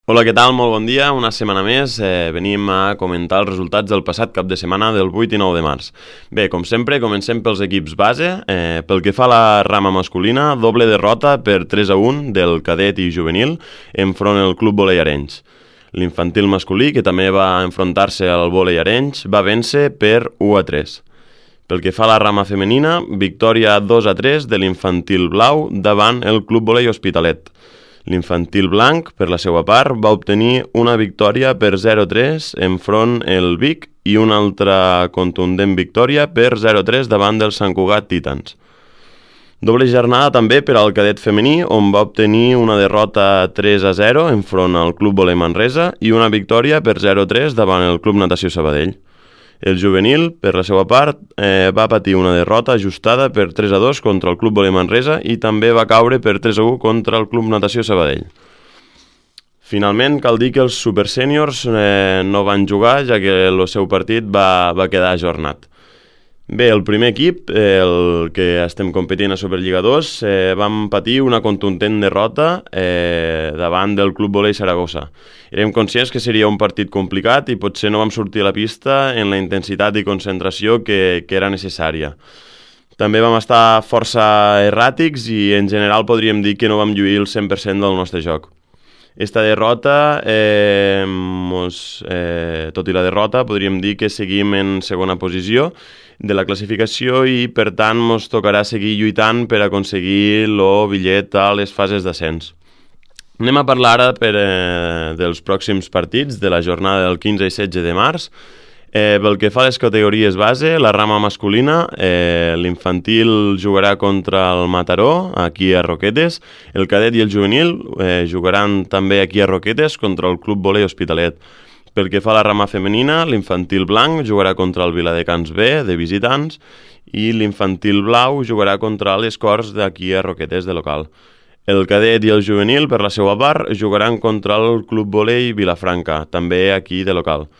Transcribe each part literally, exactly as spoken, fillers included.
Hola, què tal? Molt bon dia. Una setmana més eh, venim a comentar els resultats del passat cap de setmana del vuit i nou de març. Bé, com sempre, comencem pels equips base. Eh, pel que fa a la rama masculina, doble derrota per tres a un del cadet i juvenil enfront el Club Volei Arenys. L'infantil masculí, que també va enfrontar-se al Volei Arenys, va vèncer per u a tres. Pel que fa a la rama femenina, victòria dos a tres de l'infantil blau davant el Club Volei Hospitalet. L'infantil blanc, per la seva part, va obtenir una victòria per zero a tres enfront el Vic i una altra contundent victòria per zero a tres davant del Sant Cugat Titans. Doble jornada també per al cadet femení, on va obtenir una derrota tres a zero enfront al Club Volei Manresa i una victòria per zero a tres davant el Club Natació Sabadell. El juvenil, per la seva part, eh, va patir una derrota ajustada per tres a dos contra el Club Volei Manresa i també va caure per tres a u contra el Club Natació Sabadell. Finalment, cal dir que els Super Sèniors eh, no van jugar, ja que el seu partit va, va quedar ajornat. Bé, el primer equip, el que estem competint a Superliga dos, eh, vam patir una contundent derrota eh, davant del Club Volei Saragossa. Érem conscients que seria un partit complicat i potser no vam sortir a la pista en la intensitat i concentració que, que era necessària. També vam estar força erràtics i en general podríem dir que no vam lluir el cent per cent del nostre joc. Esta derrota, eh, mos, eh, tot i la derrota, podríem dir que seguim en segona posició de la classificació i, per tant, ens tocarà seguir lluitant per aconseguir el bitllet a les fases d'ascens. Anem a parlar ara per, eh, dels pròxims partits de la jornada del quinze i setze de març. Eh, pel que fa a les categories base, la rama masculina, eh, l'infantil jugarà contra el Mataró, aquí a Roquetes, el cadet i el juvenil eh, jugaran també aquí a Roquetes contra el Club Volei Hospitalet. Pel que fa a la rama femenina, l'infantil blanc jugarà contra el Viladecans B, de visitants, i l'infantil blau jugarà contra les Corts d'aquí a Roquetes, de local. El cadet i el juvenil, per la seva part, jugaran contra el Club Volei Vilafranca, també aquí de local.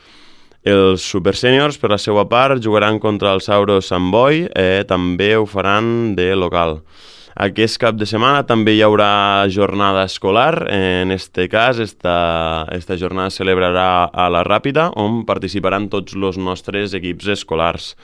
Els Super Sèniors, per la seva part, jugaran contra el Sauro Sant Boi, eh, també ho faran de local. Aquest cap de setmana també hi haurà jornada escolar. En este cas, esta, esta jornada es celebrarà a la Ràpita, on participaran tots els nostres equips escolars.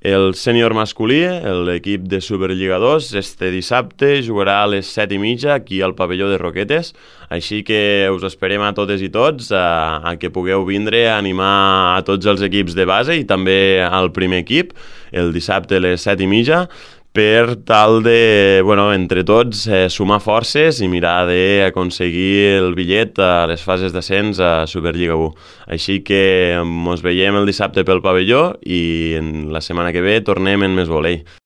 El sènior masculí, l'equip de Superliga dos, este dissabte jugarà a les set i mitja aquí al pavelló de Roquetes, així que us esperem a totes i tots a, a que pugueu vindre a animar a tots els equips de base i també al primer equip, el dissabte a les set i mitja, per tal de, bueno, entre tots, eh, sumar forces i mirar d'aconseguir el bitllet a les fases d'ascens a Superliga u. Així que ens veiem el dissabte pel pavelló i la setmana que ve tornem en més volei.